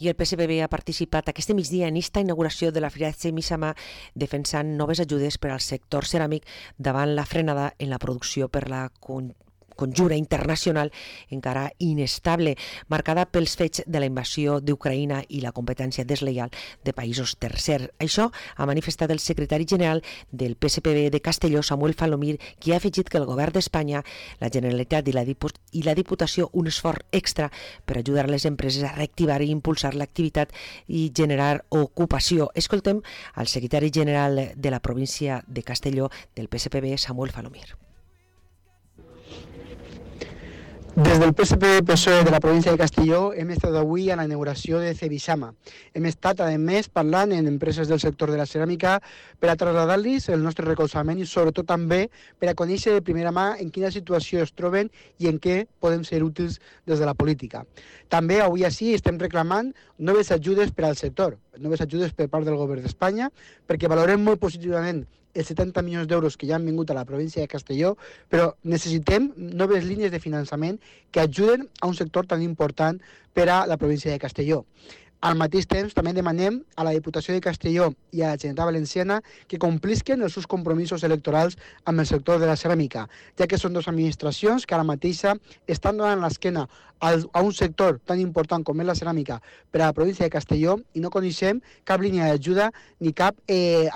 I el PSPB ha participat aquest migdia en esta inauguració de la Fira Misama defensant noves ajudes per al sector ceràmic davant la frenada en la producció per la conjura internacional encara inestable, marcada pels fets de la invasió d'Ucraïna i la competència deslleial de països tercers. Això ha manifestat el secretari general del PSPB de Castelló, Samuel Falomir, qui ha afegit que el govern d'Espanya, la Generalitat i la Diputació un esforç extra per ajudar les empreses a reactivar i impulsar l'activitat i generar ocupació. Escoltem al secretari general de la província de Castelló del PSPB, Samuel Falomir. Des del PSPB-PSOE de la província de Castelló hem estat avui a la inauguració de Cebisama. Hem estat, a més, parlant amb empreses del sector de la ceràmica per a traslladar-los el nostre recolzament i sobretot també per a conèixer de primera mà en quina situació es troben i en què podem ser útils des de la política. També avui així estem reclamant noves ajudes per al sector, noves ajudes per part del govern d'Espanya, perquè valorem molt positivament els 70 milions d'euros que ja han vingut a la província de Castelló, però necessitem noves línies de finançament que ajuden a un sector tan important per a la província de Castelló. Al mateix temps, també demanem a la Diputació de Castelló i a la Generalitat Valenciana que complisquen els seus compromisos electorals amb el sector de la ceràmica, ja que són dues administracions que ara mateixa estan donant l'esquena a un sector tan important com és la ceràmica per a la província de Castelló i no coneixem cap línia d'ajuda ni cap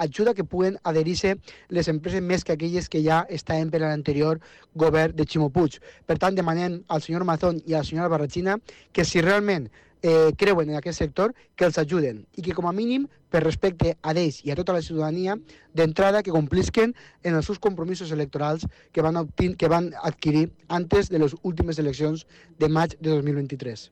ajuda que puguen adherir-se les empreses més que aquelles que ja estaven per a l'anterior govern de Ximo Puig. Per tant, demanem al senyor Mazón i a la senyora Barrachina que si realment creuen en aquest sector, que els ajuden i que com a mínim, per respecte a ells i a tota la ciutadania, d'entrada que complisquen en els seus compromisos electorals que van adquirir antes de les últimes eleccions de maig de 2023.